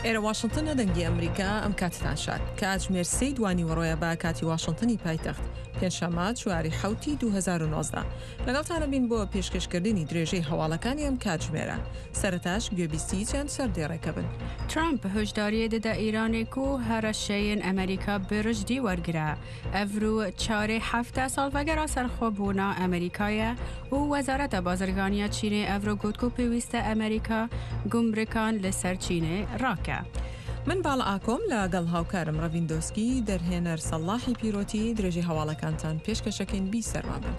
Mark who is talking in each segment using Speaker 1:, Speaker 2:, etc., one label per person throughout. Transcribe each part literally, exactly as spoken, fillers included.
Speaker 1: ئێرە واشنتنە، دەنگی ئەمریکا. ئەم کاتتان شاد. کاتژمێر سێی دوانیوەڕۆیە بە کاتی واشنتنی پایتەخت، پێنجشەممە چواری حەوتی دوو هەزار و نۆزدە. لەگەڵتانە بین بۆ پێشکەشکردنی درێژەی هەواڵەکانی ئەم کاتژمێرە. سەرەتاش گوێبیستی چەند سەردێڕێکە بن.
Speaker 2: ترامپ هۆشداریە دەدا ئێرانێک و هەڕەشەیەن ئەمریکا برژدی وەرگرە. ئەڤرو چارێ هەفتە ساڵڤەگەرا سەرخۆبوونا ئەمریکایە و وەزارەتە بازرگانیە چینێ ئەڤرو گوت و پێویستە ئەمریکا گومرکان لەسەر چینێ ڕاکە.
Speaker 1: من باڵ ئاکۆم لەگەڵ هاوکارم ڕەڤین دۆسکی، دەرهێنەر سەڵاحی پیرۆتی، درێژەی هەواڵەکانتان پێشکەشەکەین. بی سەرما بن.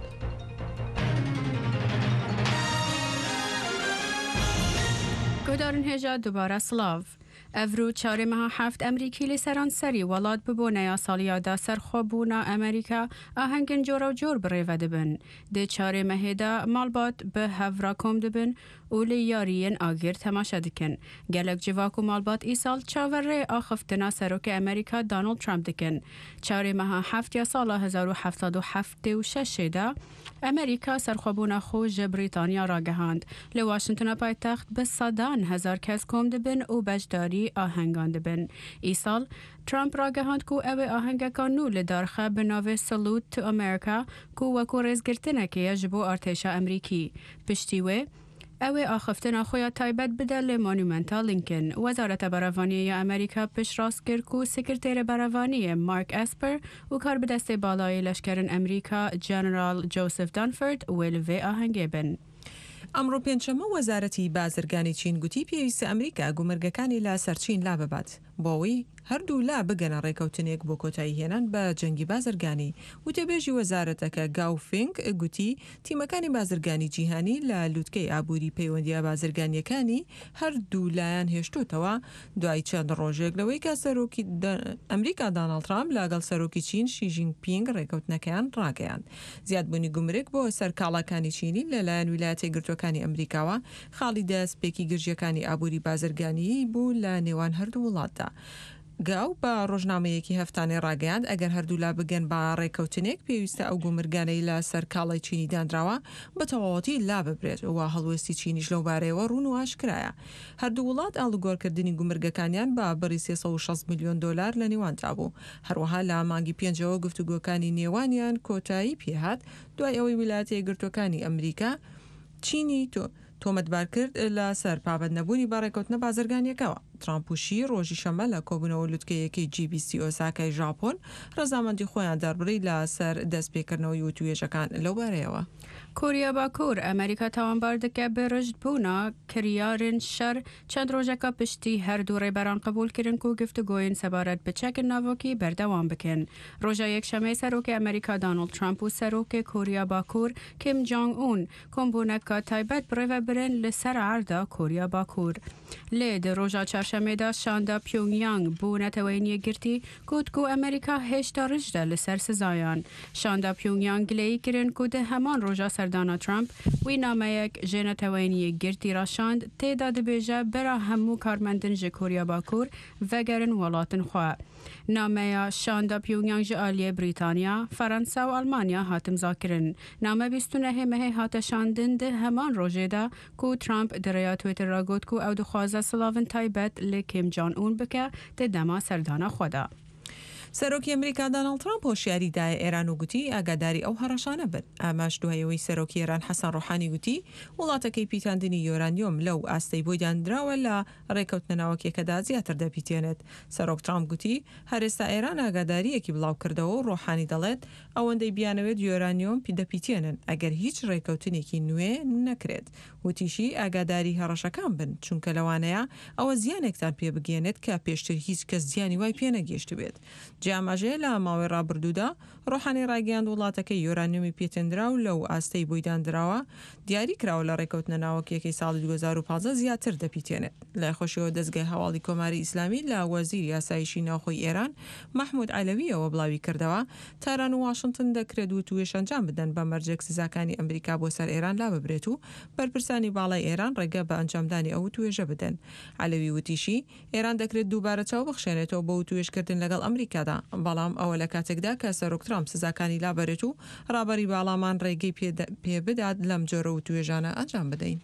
Speaker 2: گۆدارن هێژا دووبارە سڵاو. ئەڤرو چارێ مەها هەفت ئەمریکی لە سەرانسەری وڵات ببوونەیا ساڵیادا سەرخۆبوونا ئەمریکا ئاهەنگن جۆرە و جۆر بڕێوە دەبن. دێ چارێ مەهێدا ماڵبات بە هەڤرا کۆم دەبن و لە یاریەن ئاگر تەماشا دەکەن. گەلک جڤاک و ماڵبات ئیساڵ چاوەڕێ ئاخفتنا سەرۆکی ئەمریکا دانۆڵد ترامپ دەکەن. چارێ مەها هەفت یا ساڵە هەزار و هەفت و هەفتێ و شەشێدا ئەمریکا سەرخۆبوونا خۆ ژە بریتانیا ڕاگەهاند. لە واشنتنە پایتەخت بە سەدان هەزار کەس کۆم دەبن و بەشداری ئاهەنگان دەبن. ئیساڵ ترامپ ڕاگەهاند کو ئەوێ ئاهەنگەکان نوو لە دارخە بە ناوێ Salute to America کو وەکو ڕێزگرتنەکەیە ji بۆ ئارتێشا ئەمریکی. پشتی وێ ئەوێ ئاخفتنا خۆیان تایبەت بدە لە مۆنومێنتا لینکن. وەزارەتە بەرەڤانیە ئەمریکا پشتڕاست کرد و سکرتێرە بەرەڤانیە مارک ئەسپەر و کاربەدەستێ باڵای لەشکرن ئەمریکا جەنەرال جۆسف دانفۆرد وێ لەوێ ئاهەنگێ بن.
Speaker 1: ئەمڕۆ پێنجشەممە وەزارەتی بازرگانی چین گوتی پێویستە ئەمریکا گومرگەکانی لە سەر چین لا ببات بۆ ئەوەی هەردوو لا بگەنە ڕێکەوتنێک بۆ کۆتایی هێنان بە جەنگی بازرگانی. وتەبێژی وەزارەتەکە گاو فینگ گوتی تیمەکانی بازرگانی جیهانی لە لوتکەی ئابووری پەیوەندیە بازرگانیەکانی هەردوو لایەن هێشتوتەوە دوای چەند ڕۆژێک لەوەی کە سەرۆکی ئەمریکا داناڵد ترامپ لەگەڵ سەرۆکی چین شی جینگ پینگ ڕێکەوتنەکەیان ڕاگەیاند. زیادبوونی گومرگ بۆ سەر کاڵاکانی چینی لەلایەن ویلایەتە یەکگرتووەکانی ئەمریکاوە خاڵی دەستپێکی گرژیەکانی ئابووری بازرگانیی بوو لە نێوان هەردوو وڵاتدا. گاو بە ڕۆژنامەیەکی هەفتانەی ڕاگەیاند ئەگەر هەردوولا بگەن بە ڕێکەوتنێک پێویستە ئەو گومرگانەی لە سەر کاڵای چینی دانراوە بە تەواوەتی لا ببرێت و هەڵوێستی چینیش لەو بارەیەوە ڕوون و ئاشکرایە. هەردوو وڵات ئاڵوگۆڕکردنی گومرگەکانیان بە بڕی سێ سەد و شەست میلیۆن دۆلار لە نێواندا بوو. هەروەها لە مانگی پێنجەوە گفتوگۆکانی نێوانیان کۆتایی پێهات دوای ئەوەی ویلایەتە یەکگرتووەکانی ئەمریکا چینی تۆمەتبار کرد لەسەر پابەند نەبوونی بە ڕێکەوتنە بازرگانیەکەوە. ترامپ و شی ڕۆژی شەممە لە کۆبوونەوە لوتکەیەکەی جی بی سی ئۆساکای ژاپۆن ڕەزامەندی خۆیان دەربڕی لەسەر دەستپێکردنەوەی وتوێژەکان لەو بارەیەوە.
Speaker 2: کۆریا باکوور ئەمریکا تاوانبار دەکە بە ڕژدبوونا کریارن شەر چەند ڕۆژەکە پشتی هەردوو ڕێبەران قبولکردن و گفتوگۆین سەبارەت بە چەک ناوۆکی بەردەوام بکەن. ڕۆژە یەکشەممەی سەرۆکی ئەمریکا دانۆڵد ترامپ و سەرۆکی کۆریا باکوور کیم جۆنگ ئون کۆمبوونەکە تایبەت بڕێوەبرن لەسەر عەردا کۆریا باکوور. لێ دە ڕۆژا چارشەممەدا شاندا پیۆنگیانگ بۆ نەتەوەی یەکگرتی گوت کو ئەمریکا هێشتا ڕژدە لەسەر سزایان. شاندا پیۆنگیانگ گلەیی کردن کو دە هەمان ڕۆژا سەردانا ترامپ وی نامەیەک ژێ نەتەوەی یەکگرتی ڕاشاند تێدا دەبێژە بەرا هەموو کارمەندن ژە کۆریا باکوور ڤەگەرن وڵاتن خوا. نامەیە شاندا پیۆنگیانگ ژە ئالیە بریتانیا، فەرەنسا و ئەڵمانیا هاتمزاکردن. نامە بیست و نهێ مەهێ هاتە شاندن دە هەمان ڕۆژێدا کو ترامپ دەرەیا تویتر را گوت کو ئەو دخوازە سڵاڤن تایبەت لە کیم جۆنگ ئون بکە دە دەما سەردانا خۆدا.
Speaker 1: سەرۆکی ئەمریکا داناڵد ترامپ هۆشیاری دایە ئێران و گوتی ئاگاداری ئەو هەڕەشانە بن. ئاماش دوای ئەوەی سەرۆکی ئێران حەسەن ڕۆحانی گوتی وڵاتەکەی پیتاندنی یۆرانیۆم لەو ئاستەی بۆی دانراوە لە ڕێکەوتنە ناوەکیەکەدا زیاتر دەپیتێنێت. سەرۆک ترامپ گوتی هەرێستا ئێران ئاگاداریەکی بڵاو کردەوە و ڕۆحانی دەڵێت ئەوەندەی بیانەوێت یۆرانیۆم دەپیتێنن ئەگەر هیچ ڕێکەوتنێکی نوێ نەکرێت. وتیشی ئاگاداری هەڕەشەکان بن چونکە لەوانەیە ئەوە زیانێکتان پێ بگەێنێت کە پێشتر هیچ کەس زیانی وای پێ نەگەیشتبێت. جیاماژەیە لە ماوەی ڕابردوودا ڕۆحانی ڕاگەیاند وڵاتەکەی یۆرانیۆمی پێتێنراو لەو ئاستەی بۆی دانراوە دیاری کراوە لە ڕێکەوتنە ناوەکیەکەی ساڵی دوو هەزار و پازدە زیاتر دەپیتێنێت. لای خۆشیەوە دەستگای هەواڵی کۆماری ئیسلامی لە وەزیری ئاسایشی ناوخۆی ئێران مەحمود عەلەویەوە بڵاوی کردەوە تاران و واشنتن دەکرێت وتوێژ ئەنجام بدەن بە مەرجێک سزاکانی ئەمریکا بۆ سەر ئێران لا ببرێت و بەرپرسانی باڵای ئێران ڕێگە بە ئەنجامدانی ئەو وتوێژە بدەن. عەلەوی وتیشی ئێران دەکرێت دووبارە چاو بخشێنێتەوە بۆ وتوێژکردن لەگەڵ ئەمریکادا، بەڵام ئەوە لە کاتێکدا کە سەرۆک ترامپ سزاکانی لابەرێت و ڕابەری باڵامان ڕێگەی پێ بدات لەم جۆرە وتوێژانە ئەنجام بدەین.